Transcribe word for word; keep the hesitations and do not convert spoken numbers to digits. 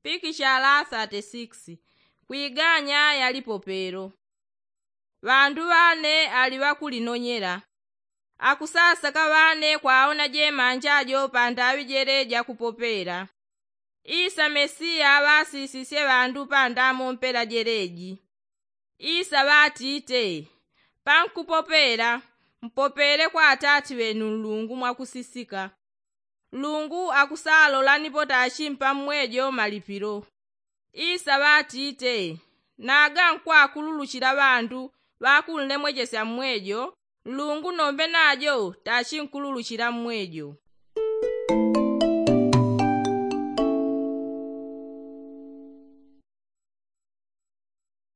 Pikishala thirty six. Kwiganya ya lipopelo. Ŵandu ŵane ali ŵakulinonyela. Akusasaka ŵane kwaona jemanja jo pandaŵi jeleji akupopela. Isa mesiya ŵasisisye ŵandu pandamompela jeleji. Isa ŵatite, pankupopela, mpopele kwa atati ŵenu nlungu mwakusisika. Nlungu akusalola nipo tachi mpammwejo malipilo. Isa ŵatite, naga nkwakululuchila ŵandu ŵakunlemwechesya mmwejo, nlungu nombe najo tachi nkululuchila mmwejo.